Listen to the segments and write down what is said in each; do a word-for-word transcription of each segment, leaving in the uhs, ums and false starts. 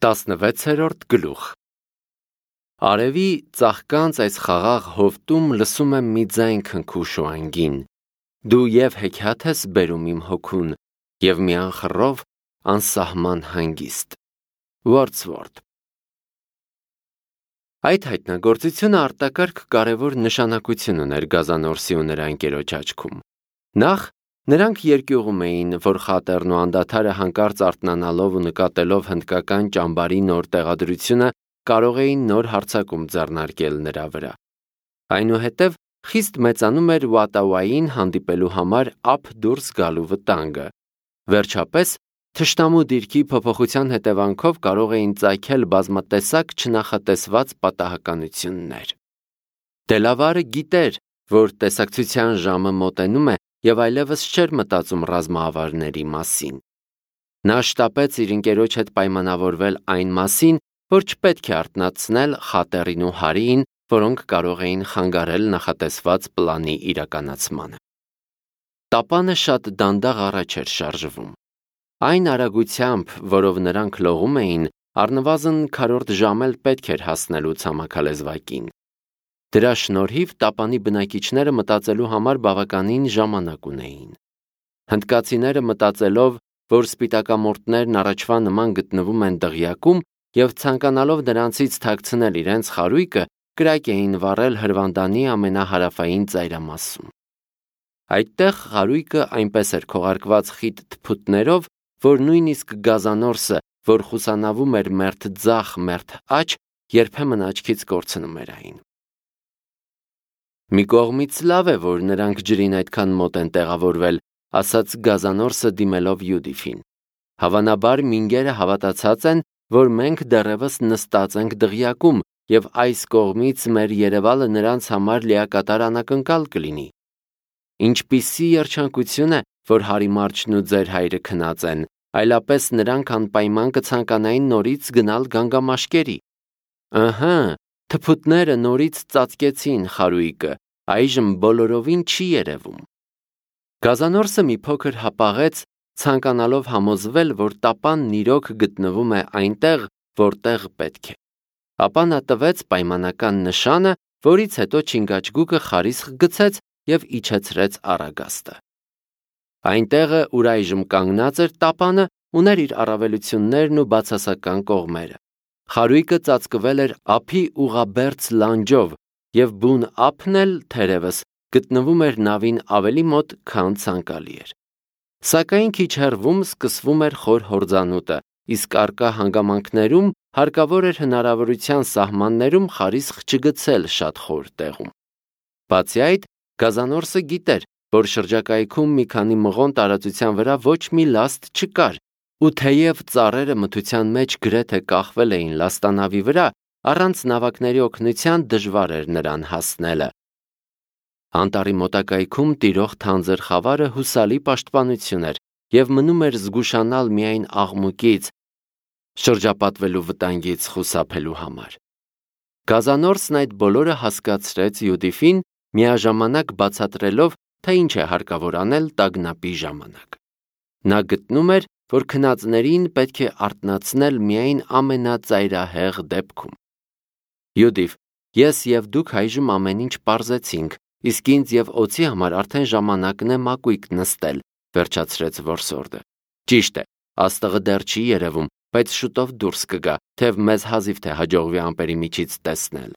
տասնվեցերորդ գլուխ Արևի ծաղկանց այս խաղաղ հովտում լսում եմ մի ձայն քնքուշ ու անգին, դու և հեքիաթ ես բերում իմ հոգուն, և մի անխռով անսահման հանգիստ։ Wordsworth Այդ հայտնագործությունը արտակարգ կարևոր նշանակություն ուներ Գազանորսի ու նրա ընկերոջ աչքում։ Նախ, նրանք երկյուղում էին, որ խատերն ու անդադարը հանկարծ արթնանալով ու նկատելով հնդկական ճամբարի նոր տեղադրությունը կարող էին նոր հարձակում ձեռնարկել նրա վրա։ Այնուհետև խիստ մեծանում էր Վատավային հանդիպելու համար ափ դուրս գալու վտանգը։ Վերջապես, թշնամու դիրքի փոփոխության հետևանքով կարող էին ծագել բազմատեսակ չնախատեսված պատահականություններ։ Դելավարը գիտեր, որ տեսակցության ժամը մոտենում է և այլևս չէր մտածում ռազմավարների մասին։ Նա շտապեց իր ընկերոջ հետ պայմանավորվել այն մասին, որ չպետք է արթնացնել խատերին ու հարիին, որոնք կարող էին խանգարել նախատեսված պլանի իրականացմանը։ Տապանը շատ դանդաղ առաջ էր շարժվում։ Այն արագությամբ, որով նրանք լողում էին, առնվազն քառորդ ժամ էլ պետք էր հասնելու ցամաքալեզվակին։ Դրա շնորհիվ տապանի բնակիչները մտածելու համար բավականին ժամանակ ունեին։ Հնդկացիները մտածելով, որ սպիտակամորտներն առաջվա նման գտնվում են դղյակում և ցանկանալով նրանցից թաքցնել իրենց խարույկը, կրակ էին վառել հրվանդանի ամենահարավային ծայրամասում։ Այդտեղ խարույկը այնպես էր քողարկված խիտ թփուտներով, որ նույնիսկ Գազանորսը, որ խուսանավում էր մերթ ձախ, մերթ աջ, երբեմն աչքից կորցնում էր այն։ Մի կողմից լավ է, որ նրանք ջրին այդքան մոտ են տեղավորվել, ասաց Գազանորսը դիմելով Յուդիֆին։ Հավանաբար մինգերը հավատացած են, որ մենք դեռևս նստած ենք դղյակում և այս կողմից մեր երևալը նրանց համար լիակատար անակնկալ կլինի։ Ինչպիսի երջանկություն է, որ Հարիմարջն ու ձեր հայրը քնած են, այլապես նրանք անպայման կցանկանային նորից գնալ գանգամաշկերի։ Ըհը, թփուտները նորից ծածկեցին խարույկը, այժմ բոլորովին չի երևում։ Գազանորսը մի փոքր հապաղեց, ցանկանալով համոզվել, որ տապանն իրոք գտնվում է այնտեղ, որտեղ պետք է։ Ապա նա տվեց պայմանական նշանը, որից հետո չինգաչգուկը խարիսխ գցեց և իջեցրեց առագաստը։ Այնտեղը, ուր այժմ կանգնած էր տապանը, ուներ իր առավելություններն ու բացասական կողմերը։ Խարույկը ծածկվել էր ափի ուղղաբերձ լանջով, և բուն ափն էլ, թերևս, գտնվում էր նավին ավելի մոտ, քան ցանկալի էր։ Սակայն քիչ հեռվում սկսվում էր խոր հորձանուտը, իսկ առկա հանգամանքներում հարկավոր էր հնարավորության սահմաններում խարիսխ չգցել շատ խոր տեղում։ Բացի այդ, Գազանորսը գիտեր, որ շրջակայքում մի քանի մղոն տարածության վրա ոչ մի լաստ չկար, ու թեև ծառերը մթության մեջ գրեթե կախվել էին լաստանավի վրա, առանց նավակների օգնության դժվար էր նրան հասնելը։ Անտառի մոտակայքում տիրող թանձր խավարը հուսալի պաշտպանություն էր և մնում էր զգուշանալ միայն աղմուկից, շրջապատվելու վտանգից խուսափելու համար։ Գազանորսն այդ բոլորը հասկացրեց Յուդիֆին, միաժամանակ բացատրելով, թե ինչ է հարկավոր անել տագնապի ժամանակ։ Նա գտնում էր, որ քնածներին պետք է արթնացնել միայն ամենածայրահեղ դեպքում։ Յուդիֆ, ես և դուք այժմ ամեն ինչ պարզեցինք, իսկ ինձ և օձի համար արդեն ժամանակն է մակույկ նստել, վերջացրեց որսորդը։ Ճիշտ է, աստղը դեռ չի երևում, բայց շուտով դուրս կգա, թեև մեզ հազիվ թե հաջողվի ամպերի միջից տեսնել։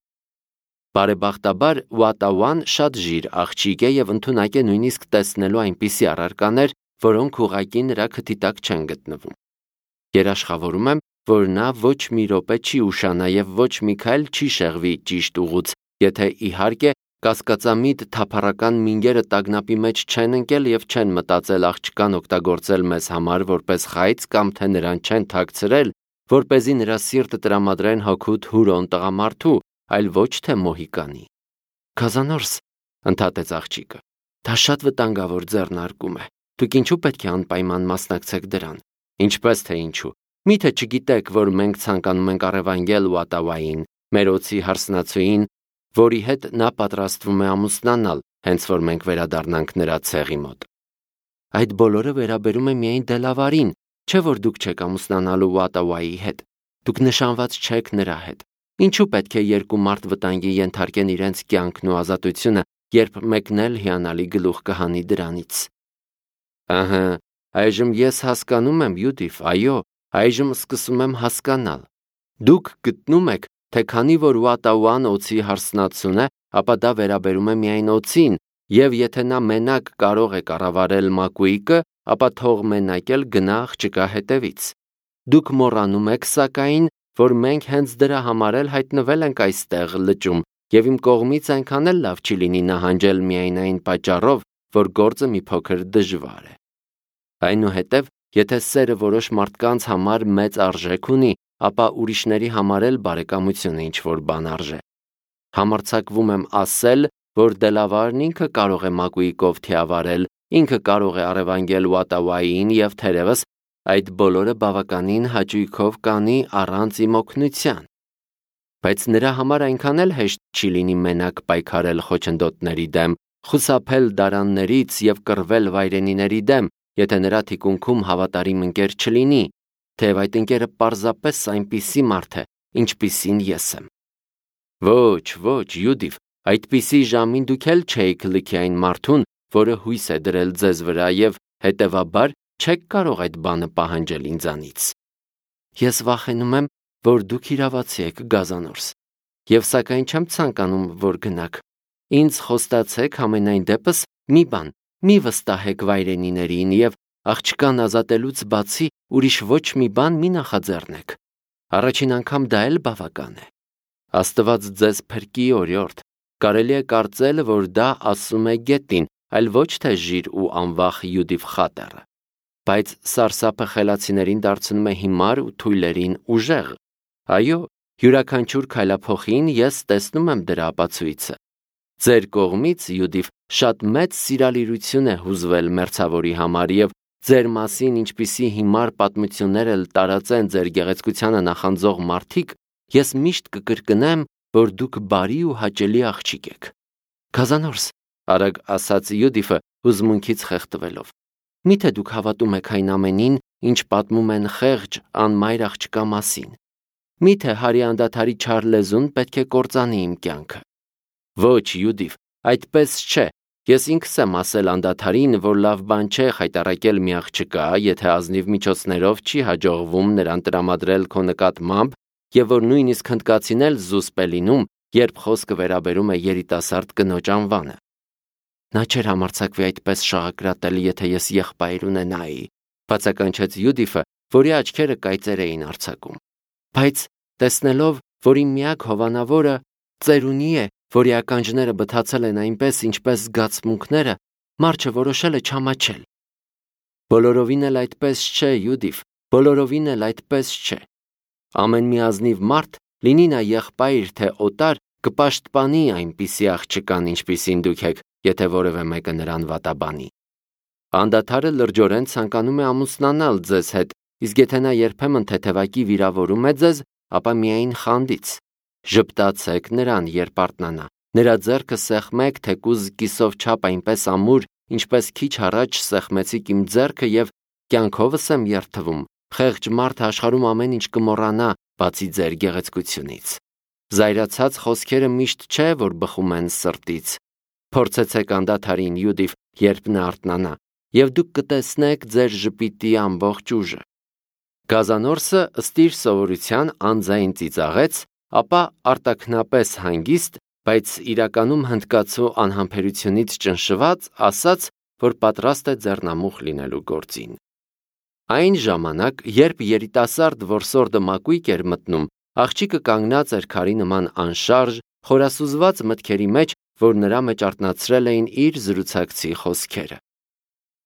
Բարեբախտաբար Վատավան շատ ժիր աղջիկ է և ընդունակ է նույնիսկ տեսնելու այնպիսի առարկաներ, որոնք ուղղակի նրա քթի տակ չեն գտնվում։ Երաշխավորում եմ, որ նա ոչ մի րոպե չի ուշանա և ոչ մի քայլ չի շեղվի ճիշտ ուղուց, եթե իհարկե կասկածամիտ թափառական մինգերը տագնապի մեջ չեն ընկել և չեն մտածել աղջկան օգտագործել մեզ համար որպես խայծ կամ թե նրան չեն թաքցրել, որպեսզի նրա սիրտը տրամադրեն հօգուտ հուրոն տղամարդու, այլ ոչ թե մոհիկանի։ Գազանորս, ընդհատեց աղջիկը, դա շատ վտանգավոր ձեռնարկում է։ Դուք ինչու պետք է անպայման մասնակցեք դրան։ Ինչպես թե ինչու։ Միթե չգիտեք, որ մենք ցանկանում ենք առևանգել Վատավային, մեր օձի հարսնացուին, որի հետ նա պատրաստվում է ամուսնանալ, հենց որ մենք վերադառնանք նրա ցեղի մոտ։ Այդ բոլորը վերաբերում է միայն Դելավարին, չէ՞ որ դուք չեք ամուսնանալու Վատավայի հետ։ Դուք նշանված չեք նրա հետ։ Ինչու պետք է երկու մարդ վտանգի ենթարկեն իրենց կյանքն ու ազատությունը, երբ մեկն էլ հիանալի գլուխ կհանի դրանից։ Ահա, այժմ ես հասկանում եմ, Յուդիֆ, այո, այժմ սկսում եմ հասկանալ։ Դուք գտնում եք, թե քանի որ Ուատաուան օձի հարսնացուն է, ապա դա վերաբերում է միայն օձին, եւ եթե նա մենակ կարող է կառավարել մակույկը, ապա թող մենակ էլ գնա աղջկա հետևից։ Դուք մոռանում եք, սակայն, որ մենք հենց դրա համար էլ հայտնվել ենք այստեղ լճում, եւ իմ կողմից այնքան էլ լավ չի լինի նահանջել միայն այն պատճառով, որ գործը մի փոքր դժվար է։ Այնուհետև, եթե սերը որոշ մարդկանց համար մեծ արժեք ունի, ապա ուրիշների համար էլ բարեկամությունը ինչ-որ բան արժե։ Համարձակվում եմ ասել, որ Դելավարն ինքը կարող է մակույկով թիավարել, ինքը կարող է առևանգել Ուատաուային եւ թերևս այդ բոլորը բավականին հաճույքով կանի առանց իմ օգնության։ Բայց նրա համար այնքան էլ հեշտ չի լինի մենակ պայքարել խոչընդոտների դեմ, խուսափել դարաններից եւ կռվել վայրենիների դեմ, եթե նրա թիկունքում հավատարիմ ընկեր չլինի, թեև այդ ընկերը պարզապես այնպիսի մարդ է, ինչպիսին ես եմ։ Ոչ, ոչ, Յուդիֆ, այդպիսի ժամին դուք էլ չէիք լքի այն մարդուն, որը հույս է դրել ձեզ վրա եւ հետեւաբար չեք կարող այդ բանը պահանջել ինձանից։ Ես վախենում եմ, որ դուք իրավացի եք, Գազանորս, եւ սակայն չեմ ցանկանում, որ գնաք։ Ինձ խոստացեք համենայն դեպս մի բան, մի վստահեք վայրենիներին եւ աղջկան ազատելուց բացի ուրիշ ոչ մի բան մի նախաձեռնեք։ Առաջին անգամ դա էլ բավական է։ Աստված ձեզ փրկի, օրիորդ, կարելի է կարծել, որ դա ասում է գետին, այլ ոչ թե ժիր ու անվախ Յուդիֆ խատերը։ Բայց սարսափը խելացիներին դարձնում է հիմար ու թույլերին ուժեղ։ Այո, յուրաքանչյուր քայլափոխին ես տեսնում եմ դրա ապացույցը։ Ձեր կողմից, Յուդիֆ, շատ մեծ սիրալիրություն է հուզվել մերձավորի համար եւ ձեր մասին ինչպիսի հիմար պատմություններ էլ տարածեն ձեր գեղեցկությանը նախանձող մարդիկ, ես միշտ կկրկնեմ, որ դուք բարի ու հաճելի աղջիկ եք։ Գազանորս, արագ ասաց Յուդիֆը հուզմունքից խեղդվելով, միթե դուք հավատում եք այն ամենին, ինչ պատմում են խեղճ անմայր աղջկա մասին։ Միթե հարի անդադարի չար լեզուն պետք է կործանի իմ կյանքը։ Ոչ, Յուդիֆ, այդպես չէ։ Ես ինքս եմ ասել անդադարին, որ լավ բան չէ խայտառակել մի աղջկա, եթե ազնիվ միջոցներով չի հաջողվում նրան տրամադրել քո նկատմամբ, եւ որ նույնիսկ հնդկացին էլ զուսպ է լինում, երբ խոսքը վերաբերում է երիտասարդ կնոջ անվանը։ Նա չէր համարձակվի այդպես շաղակրատել, եթե ես եղբայր ունենայի, բացականչեց Յուդիֆը, որի աչքերը կայծեր էին արձակում։ Բայց տեսնելով, որ իմ միակ հովանավորը ծերունի է, որի ականջները բթացել են այնպես, ինչպես զգացմունքները, մարդ որոշել է չամաչել։ Բոլորովին էլ այդպես չէ, Յուդիֆ, բոլորովին էլ այդպես չէ։ Ամեն մի ազնիվ մարդ, լինի նա եղբայր թե օտար, կպաշտպանի այնպիսի աղջկան, ինչպիսին դուք եք, եթե որևէ մեկը նրան վատաբանի։ Անդադարը լրջորեն ցանկանում է ամուսնանալ ձեզ հետ, իսկ եթե նա երբեմն թեթևակի վիրավորում է ձեզ, ապա միայն խանդից։ Ժպտացեք նրան, երբ արթնանա, նրա ձեռքը սեղմեք թեկուզ կիսով չափ այնպես ամուր, ինչպես քիչ առաջ սեղմեցիք իմ ձեռքը եւ կյանքովս եմ երթվում, խեղճ մարդը աշխարհում ամեն ինչ կմոռանա, բացի ձեր գեղեցկությունից։ Զայրացած խոսքերը միշտ չէ, որ բխում են սրտից։ Փորձեցեք անդադարին, Յուդիֆ, երբ նա արթնանա, եւ դուք կտեսնեք ձեր ժպիտի ամբողջ ուժը։ Գազանորսը ըստ իր սովորության անձայն ծիծաղեց, ապա արտաքնապես հանգիստ, բայց իրականում հնդկացու անհամբերությունից ճնշված, ասաց, որ պատրաստ է ձեռնամուխ լինելու գործին։ Այն ժամանակ, երբ երիտասարդ որսորդը մակույկ էր մտնում, աղջիկը կանգնած էր քարի նման անշարժ, խորասուզված մտքերի մեջ, որ նրա մեջ արթնացրել էին իր զրուցակցի խոսքերը։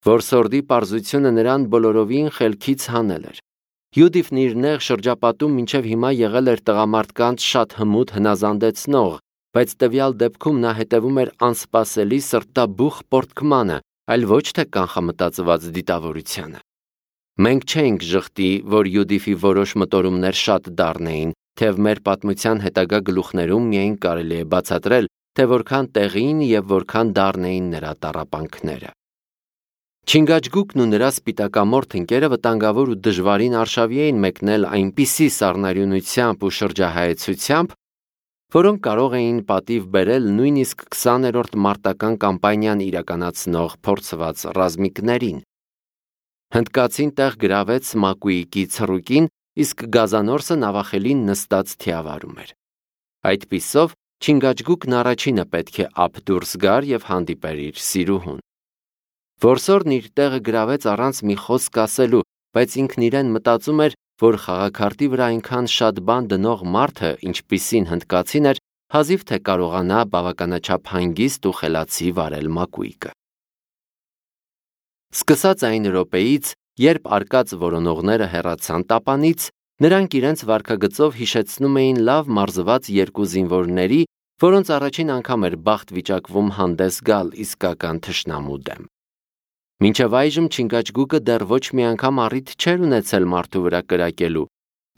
Որսորդի պարզությունը նրան բոլորովին խելքից հանել էր։ Յուդիֆն իր նեղ շրջապատում մինչև հիմա եղել էր տղամարդկանց շատ հմուտ հնազանդեցնող, բայց տվյալ դեպքում նա հետևում էր անսպասելի սրտաբուխ պորտկմանը, այլ ոչ թե կանխամտածված դիտավորությանը։ Մենք չենք ժխտի, որ Յուդիֆի որոշ մտորումներ շատ դառն էին, թեև մեր պատմության հետագա գլուխներում միայն կարելի է բացատրել, թե որքան տեղին եւ որքան դառն էին նրա տառապանքները։ Չինգաչգուկն ու նրա սպիտակամորթ ընկերը վտանգավոր ու դժվարին արշավի էին մեկնել այնպիսի սառնարյունությամբ ու շրջահայեցությամբ, որոնք կարող էին պատիվ բերել նույնիսկ քսաներորդ մարտական կամպանիան իրականացնող փորձված ռազմիկներին։ Հնդկացին տեղ գրավեց Մակուիկի ցռուկին, իսկ գազանորսը նավախելին նստած թիավարում էր։ Այդպիսով Չինգաչգուկն առաջինը պետք է ափ դուրս գար եւ հանդիպեր իր սիրուհուն։ Որսորդն իր տեղը գրավեց առանց մի խոսք ասելու, բայց ինքն իրեն մտածում էր, որ խաղաքարտի վրա այնքան շատ բան դնող մարդը, ինչպիսին հնդկացին էր, հազիվ թե կարողանա բավականաչափ հանգիստ ու խելացի վարել Մակուիկը։ Սկսած այն րոպեից, երբ արկած որոնողները հեռացան տապանից, նրանք իրենց վարքագծով հիշեցնում էին լավ մարզված երկու զինվորների, որոնց առաջին անգամ էր բախտ վիճակվում հանդես գալ իսկական թշնամու դեմ։ Մինչև այժմ Չինգաչգուկը դեռ ոչ մի անգամ առիթ չէր ունեցել մարդու վրա կրակելու։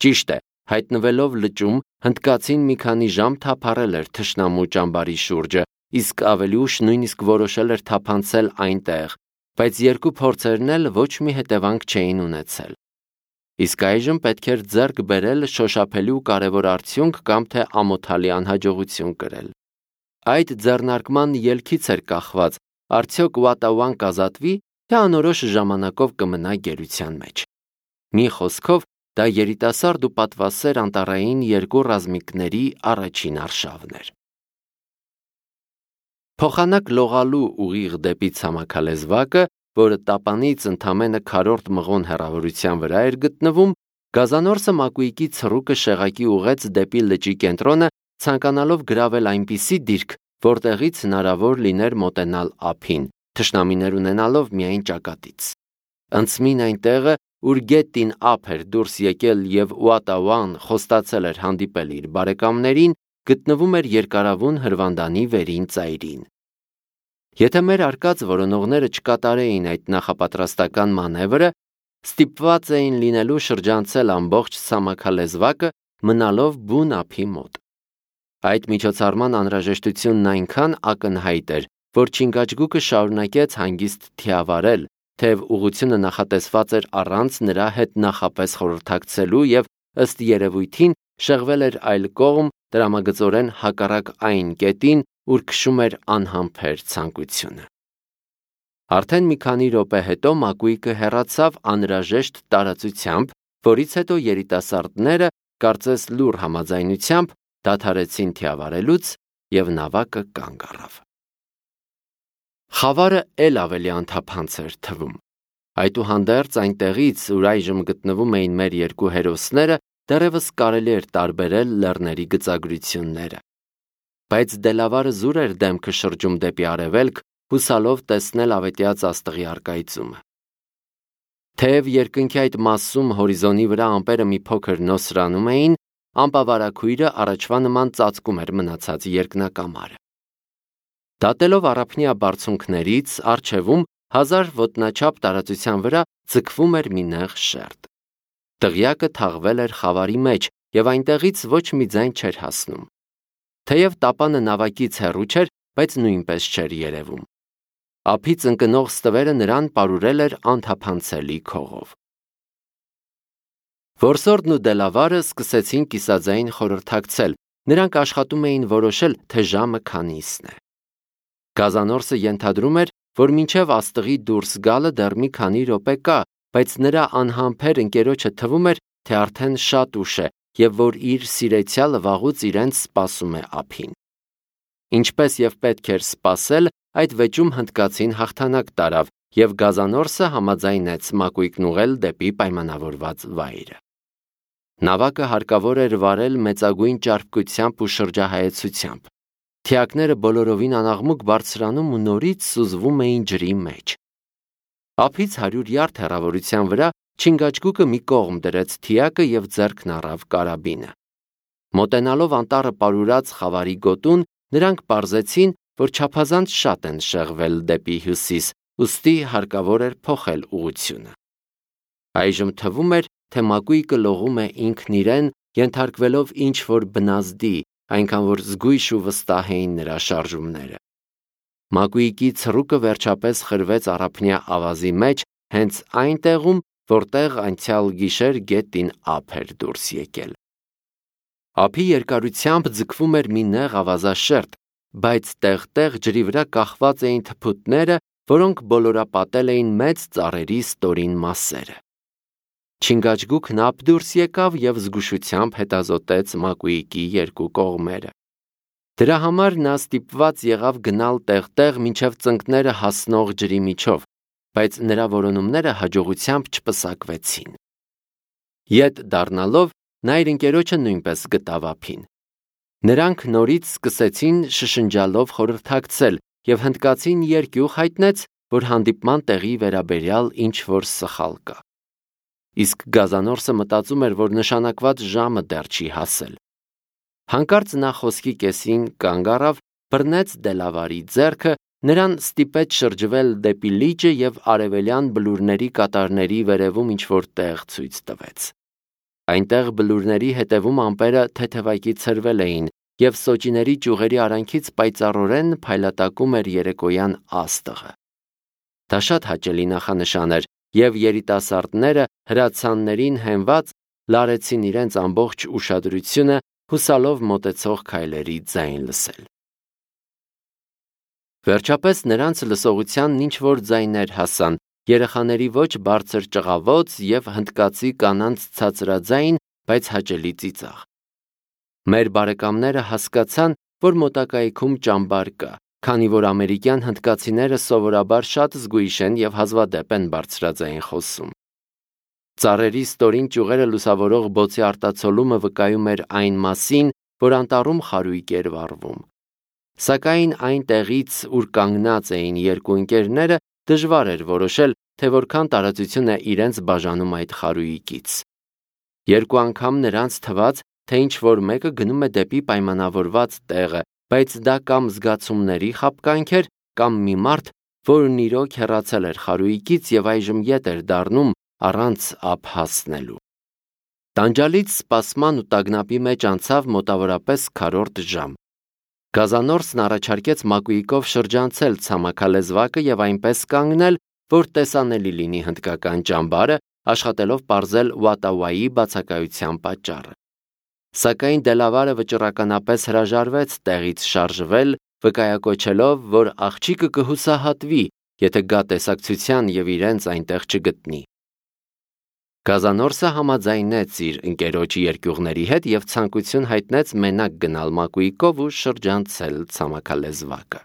Ճիշտ է, հայտնվելով լճում, հնդկացին մի քանի ժամ թափառել էր թշնամու ճամբարի շուրջը, իսկ ավելի ուշ նույնիսկ որոշել էր թափանցել այնտեղ, բայց երկու փորձերն էլ ոչ մի հետևանք չէին ունեցել։ Իսկ այժմ պետք էր ձեռք բերել շոշափելի ու կարևոր արդյունք կամ թե ամոթալի անհաջողություն կրել։ Այդ ձեռնարկման ելքից էր կախված, արդյոք Ուատաուան կազատվի, թե անորոշ ժամանակով կմնա գերության մեջ։ Մի խոսքով, դա երիտասարդ ու պատվասեր անտառային երկու ռազմիկների առաջին արշավն էր։ Փոխանակ լողալու ուղիղ դեպի ցամաքալեզվակը, որը տապանից ընդամենը քառորդ մղոն հեռավորության վրա էր գտնվում, գազանորսը Մակուիկի ցռուկը շեղակի ուղեց դեպի լճի կենտրոնը, ցանկանալով գրավել այնպիսի դիրք, որտեղից հնարավոր լիներ մոտենալ ափին, թշնամիներ ունենալով միայն ճակատից։ Անցմին այն տեղը, ուր գետին ափ էր դուրս եկել եւ Ուատաուան խոստացել էր հանդիպել իր բարեկամներին, գտնվում էր երկարավուն հրվանդանի վերին ծայրին։ Եթե մեր արկած որոնողները չկատարեին այդ նախապատրաստական մանևրը, ստիպված էին լինելու շրջանցել ամբողջ ցամաքալեզվակը, մնալով բուն ափի մոտ։ Այդ միջոցառման անհրաժեշտությունն այնքան ակնհայտ էր, որ Չինգաչգուկը շարունակեց հանգիստ թիավարել, թեև ուղղությունը նախատեսված էր առանց նրա հետ նախապես խորհրդակցելու եւ ըստ երևույթին շեղվել էր այլ կողմ, տրամագծորեն հակառակ այն կետին, ուր քշում էր անհամբեր ցանկությունը։ Արդեն մի քանի րոպե հետո Մակուիկը հեռացավ անհրաժեշտ տարածությամբ, որից հետո երիտասարդները, կարծես լուր համաձայնությամբ, դադարեցին թիավարելուց եւ նավակը կանգ առավ։ Խավարը էլ ավելի անթափանց էր թվում։ Այդուհանդերձ այնտեղից, ուր այժմ գտնվում էին մեր երկու հերոսները, դեռևս կարելի էր տարբերել լեռների գծագրությունները։ Բայց Դելավարը զուր էր դեմքը շրջում դեպի արևելք, հուսալով տեսնել ավետյաց աստղի առկայծումը։ Թեև երկնքի այդ մասում հորիզոնի վրա ամպերը մի փոքր նոսրանում էին, ամպավարակույրը առաջվա նման ծածկում էր մնացած երկնակամարը։ Դատելով առափնյա բարձունքներից, առջևում հազար ոտնաչափ տարածության վրա ձգվում էր մի նեղ շերտ։ Դղյակը թաղվել էր խավարի մեջ եւ այնտեղից ոչ մի ձայն չէր հասնում։ Թեև տապանը նավակից հեռու չէր, բայց նույնպես չէր երևում։ Ափից ընկնող ստվերը նրան պարուրել էր անթափանցելի քողով։ Որսորդն ու Դելավարը սկսեցին կիսաձայն խորհրդակցել, նրանք աշխատում էին որոշել, թե ժամը քանիսն է։ Գազանորսը ենթադրում էր, որ մինչև աստղի դուրս գալը դեռ մի քանի րոպե կա, բայց նրա անհամբեր ընկերոջը թվում էր, թե արդեն շատ ուշ է եւ որ իր սիրեցյալը վաղուց իրենց սպասում է ափին։ Ինչպես եւ պետք էր սպասել, այդ վեճում հնդկացին հաղթանակ տարավ եւ գազանորսը համաձայնեց Մակուիկն ուղղել դեպի պայմանավորված վայրը։ Նավակը հարկավոր էր վարել մեծագույն ճարպկությամբ ու շրջահայեցությամբ։ Թիակները բոլորովին անաղմուկ բարձրանում ու նորից սուզվում էին ջրի մեջ։ Ափից հարյուր յարդ հեռավորության վրա Չինգաչգուկը մի կողմ դրեց թիակը եւ ձեռքն առավ կարաբինը։ Մոտենալով անտառը պարուրած խավարի գոտուն, նրանք պարզեցին, որ չափազանց շատ են շեղվել դեպի հյուսիս, ուստի հարկավոր էր փոխել ուղղությունը։ Այժմ թվում էր, թե Մակուիկը լողում է ինքն իրեն, ենթարկվելով ինչ-որ բնազդի, այնքան որ զգույշ ու վստահ էին նրա շարժումները։ Մակուիկի ցռուկը վերջապես խրվեց առափնյա ավազի մեջ, հենց այն տեղում, որտեղ անցյալ գիշեր գետին ափ էր դուրս եկել։ Ափի երկարությամբ ձգվում էր մի նեղ ավազաշերտ, բայց տեղ-տեղ ջրի վրա կախված էին թփուտները, որոնք բոլորապատել էին մեծ ծառերի ստորին մասերը։ Չինգաչգուկն ափ դուրս եկավ և զգուշությամբ հետազոտեց Մակուիկի երկու կողմերը։ Դրա համար նա ստիպված եղավ գնալ տեղ-տեղ մինչև ծնկները հասնող ջրի միջով, բայց նրա որոնումները հաջողությամբ չպսակվեցին։ Ետ դառնալով, նա իր ընկերոջը նույնպես գտավ ափին։ Նրանք նորից սկսեցին շշնջալով խորհրդակցել, և հնդկացին երկյուղ հայտնեց, որ հանդիպման տեղի վերաբերյալ ինչ-որ սխալ կա։ Իսկ գազանորսը մտածում էր, որ նշանակված ժամը դեռ չի հասել։ Հանկարծ նա խոսքի կեսին կանգ առավ, բռնեց Դելավարի ձեռքը, նրան ստիպեց շրջվել դեպի լիճը և արևելյան բլուրների կատարների վերևում ինչ-որ տեղ ցույց տվեց։ Այնտեղ բլուրների հետևում ամպերը թեթևակի ցրվել էին, և սոճիների ճյուղերի արանքից պայծառորեն փայլատակում էր երեկոյան աստղը։ Դա շատ հաճելի նախանշան էր, և երիտասարդները հրացաններին հենված լարեցին իրենց ամբողջ ուշադրությունը, հուսալով մոտեցող քայլերի ձայն լսել։ Վերջապես նրանց լսողությանն ինչ-որ ձայներ հասան, երեխաների ոչ բարձր ճղավոց և հնդկացի կանանց ցածրաձայն, բայց հաճելի ծիծաղ։ Մեր բարեկամները հասկացան, որ մոտակայքում ճամբար կա, քանի որ ամերիկյան հնդկացիները սովորաբար շատ զգույշ են և հազվադեպ են բարձրաձայն խոսում։ Ծառերի ստորին ճյուղերը լուսավորող բոցի արտացոլումը վկայում էր այն մասին, որ անտառում խարույկ էր վառվում։ Սակայն այն տեղից, ուր կանգնած էին երկու ընկերները, դժվար էր որոշել, թե որքան տարածություն է իրենց բաժանում այդ խարույկից։ Երկու անգամ նրանց թվաց, թե ինչ-որ մեկը գնում է դեպի պայմանավորված տեղը, բայց դա կամ զգացումների խաբկանք էր, կամ մի մարդ, որն իրոք հեռացել էր խարույկից և այժմ ետ էր դառնում առանց ափ հասնելու։ Տանջալից սպասման ու տագնապի մեջ անցավ մոտավորապես քառորդ ժամ։ Գազանորսն առաջարկեց Մակուիկով շրջանցել ցամաքալեզվակը և այնպես կանգնել, որ տեսանելի լինի հնդկական ճամբարը, աշխատելով պարզել Ուատավայի բացակայության պատճառը։ Սակայն Դելավարը վճռականապես հրաժարվեց տեղից շարժվել, վկայակոչելով, որ աղջիկը կհուսահատվի, եթե գա տեսակցության և իրենց այնտեղ չգտնի։ Գազանորսը համաձայնեց իր ընկերոջ երկյուղների հետ և ցանկություն հայտնեց մենակ գնալ Մակուիկով ու շրջանցել ցամաքալեզվակը։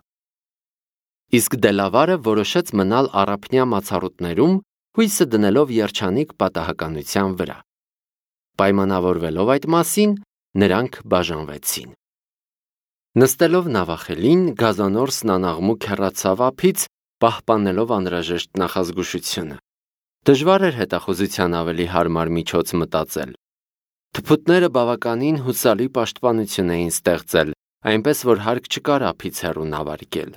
Իսկ Դելավարը որոշեց մնալ առափնյա մացառուտներում, հույսը դնելով երջանիկ պատահականության վրա։ Պայմանավորվելով այդ մասին, նրանք բաժանվեցին։ Նստելով նավախելին, Գազանորսն անաղմուկ հեռացավ ափից, պահպանելով անհրաժեշտ նախազգուշությունը։ Դժվար էր հետախուզության ավելի հարմար միջոց մտածել։ Թփուտները բավականին հուսալի պաշտպանություն էին ստեղծել, այնպես որ հարկ չկար ափից հեռու նավարկել։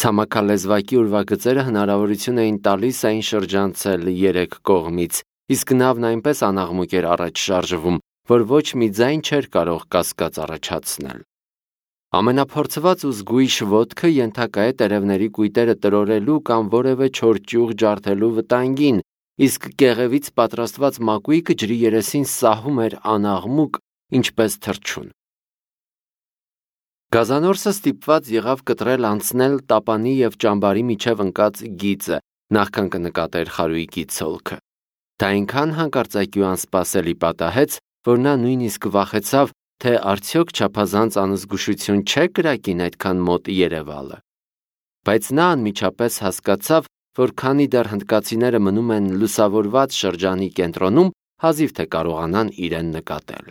Ցամաքալեզվակի ուրվագծերը հնարավորություն էին տալիս այն շրջանցել երեք կողմից, իսկ նավն այնպես անաղմուկ էր առաջ շարժվում, որ ոչ մի ձայն չէր կարող կասկած առաջացնել։ Ամենափորձված ու զգույշ ոտքը ենթակա է տերևների կույտերը տրորելու կամ որևէ չոր ճյուղ ջարդելու վտանգին, իսկ կեղևից պատրաստված մակույկը ջրի երեսին սահում էր անաղմուկ, ինչպես թռչուն։ Գազանորսը ստիպված եղավ կտրել անցնել տապանի և ճամբարի միջև ընկած գիծը, նախքան կնկատեր խարույկի ցոլքը։ Դա այնքան հանկարծակի ու անսպասելի պատահեց, որ նա նույնիսկ վախեցավ, թե արդյոք չափազանց անզգուշություն չէ կրակին այդքան մոտ երևալը։ Բայց նա անմիջապես հասկացավ, որ քանի դեռ հնդկացիները մնում են լուսավորված շրջանի կենտրոնում, հազիվ թե կարողանան իրեն նկատել։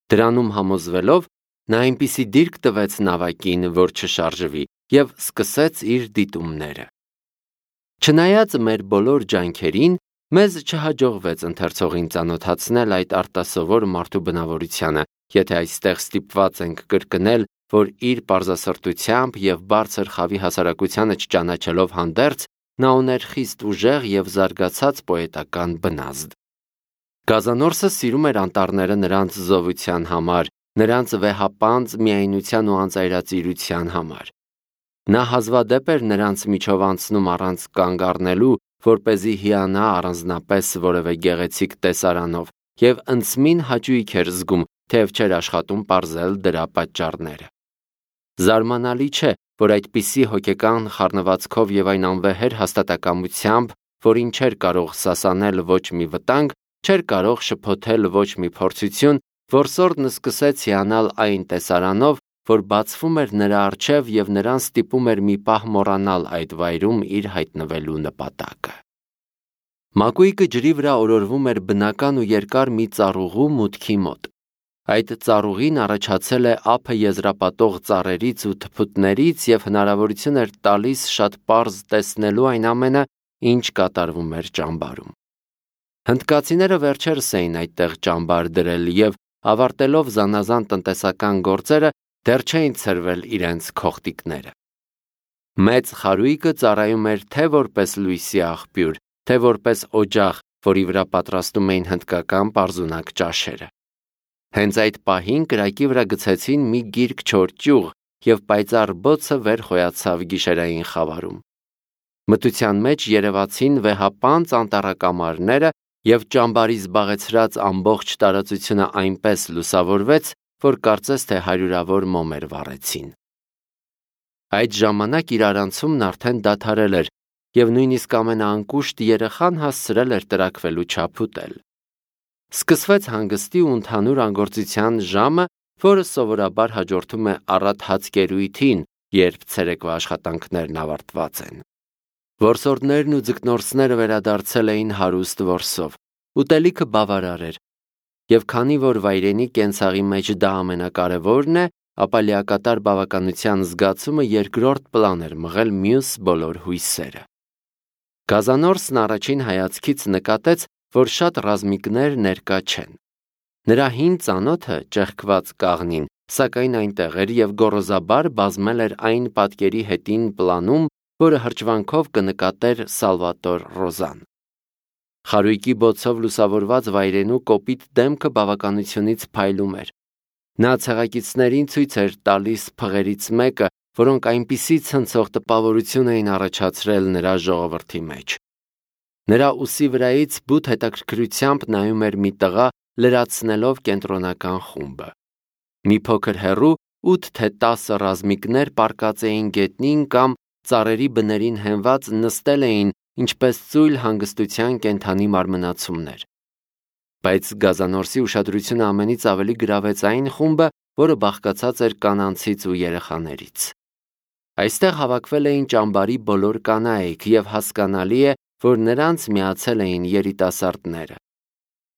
Դրանում համոզվելով, նա այնպիսի դիրք տվեց նավակին, որ չշարժվի, և սկսեց իր դիտումները։ Չնայած մեր բոլոր ջանքերին, մեզ չհաջողվեց ընթերցողին ծանոթացնել այդ արտասովոր մարդու բնավորությանը, եթե այստեղ ստիպված ենք կրկնել, որ իր պարզասրտությամբ և բարձր խավի հասարակությանը չճանաչելով հանդերձ, նա ուներ խիստ ուժեղ և զարգացած պոետական բնազդ։ Գազանորսը սիրում էր անտառները նրանց զովության համար, նրանց վեհապանծ միայնության ու անծայրածիրության համար։ Նա հազվադեպ էր նրանց միջով անցնում առանց կանգ առնելու, որպեսզի հիանա առանձնապես որևէ գեղեցիկ տեսարանով, և ընդսմին հաճույք էր զգում, թեև չէր աշխատում պարզել դրա պատճառները։ Զարմանալի չէ, որ այդպիսի հոգեկան խառնվածքով և այն անվեհեր հաստատակամությամբ, որին չէր կարող սասանել ոչ մի վտանգ, չէր կարող շփոթել ոչ մի փորձություն, որսորդն սկսեց հիանալ այն տեսարանով, որ բացվում էր նրա առջև և նրան ստիպում էր մի պահ մոռանալ այդ վայրում իր հայտնվելու նպատակը։ Մակույկը ջրի վրա օրորվում էր բնական ու երկար մի ծառուղու մուտքի մոտ։ Այդ ծառուղին առաջացել է ափը եզրապատող ծառերից ու թփուտներից և հնարավորություն էր տալիս շատ պարզ տեսնելու այն ամենը, ինչ կատարվում էր ճամբարում։ Հնդկացիները վերջերս էին այդտեղ ճամբար դրել և, ավարտելով զանազան տնտեսական գործերը, դեռ չէին ցրվել իրենց քողտիկները։ Մեծ խարույկը ծառայում էր թե որպես լույսի աղբյուր, թե որպես օջախ, որի վրա պատրաստում էին հնդկական պարզունակ ճաշերը։ Հենց այդ պահին կրակի վրա գցեցին մի գիրք չոր ճյուղ, և պայծառ բոցը վեր խոյացավ գիշերային խավարում։ Մթության մեջ երևացին վեհապանծ անտառակամարները, և ճամբարի զբաղեցրած ամբողջ տարածությունը այնպես լուսավորվեց, որ կարծես թե հարյուրավոր մոմեր վառեցին։ Այդ ժամանակ իրարանցումն արդեն դադարել էր, և նույնիսկ ամենաանկուշտ երեխան հասցրել էր տրաքվելու չափ ուտել։ Սկսվեց հանգստի ու ընդհանուր անգործության ժամը, որը սովորաբար հաջորդում է առատ հացկերույթին, երբ ցերեկվա աշխատանքներն ավարտված են։ Որսորդներն ու ձկնորսները վերադարձել էին հարուստ որսով, ուտելիքը բավարար էր, և քանի որ վայրենի կենցաղի մեջ դա ամենակարևորն է, ապա լիակատար բավականության զգացումը երկրորդ պլան էր մղել մյուս բոլոր հույսերը։ Գազանորսն առաջին հայացքից նկատեց, որ շատ ռազմիկներ ներկա չեն։ Նրա հին ծանոթը, ճեղքված կաղնին, սակայն այնտեղ էր և գոռոզաբար բազմել էր այն պատկերի հետին պլանում, որը հրճվանքով կնկատեր Սալվատոր Ռոզան։ Խարույկի բոցով լուսավորված վայրենու կոպիտ դեմքը բավականությունից փայլում էր։ Նա ցեղակիցներին ցույց էր տալիս փղերից մեկը, որոնք այնպիսի ցնցող տպավորություն էին առաջացրել նրա ժողովրդի մեջ։ Նրա ուսի վրայից բութ հետաքրքրությամբ նայում էր մի տղա, լրացնելով կենտրոնական խումբը։ Մի փոքր հեռու ութ թե տասը ռազմիկներ պառկած էին գետնին կամ ծառերի բներին հենված նստել էին, ինչպես ծույլ հանգստության կենդանի մարմնացումներ։ Բայց Գազանորսի ուշադրությունը ամենից ավելի գրավեց այն խումբը, որը բաղկացած էր կանանցից ու երեխաներից։ Այստեղ հավաքվել էին ճամբարի բոլոր կանայք, և հասկանալի է, որ նրանց միացել էին երիտասարդները։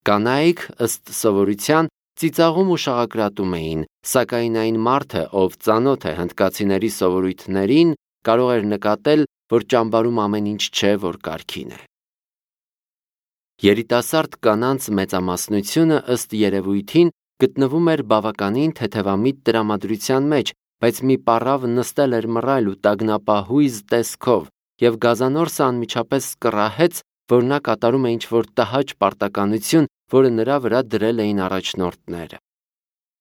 Կանայք, ըստ սովորության, ծիծաղում ու շաղակրատում էին, սակայն այն մարդը, ով ծանոթ է հնդկացիների սովորույթներին, կարող էր նկատել, որ ճամբարում ամեն ինչ չէ, որ կարգին է։ Երիտասարդ կանանց մեծամասնությունը, ըստ երևույթին, գտնվում էր բավականին թեթևամիտ տրամադրության մեջ, բայց մի պառավ նստել էր մռայլ ու տագնապահույզ տեսքով, և Գազանորսը անմիջապես կռահեց, որ նա կատարում է ինչ-որ տհաճ պարտականություն, որը նրա վրա դրել էին առաջնորդները։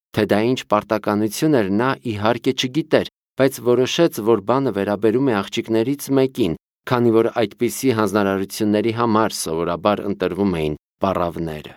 Թե դա ինչ պարտականություն էր, նա իհարկե չգիտեր, բայց որոշեց, որ բանը վերաբերում է աղջիկներից մեկին, քանի որ այդպիսի հանձնարարությունների համար սովորաբար ընտրվում էին պառավները։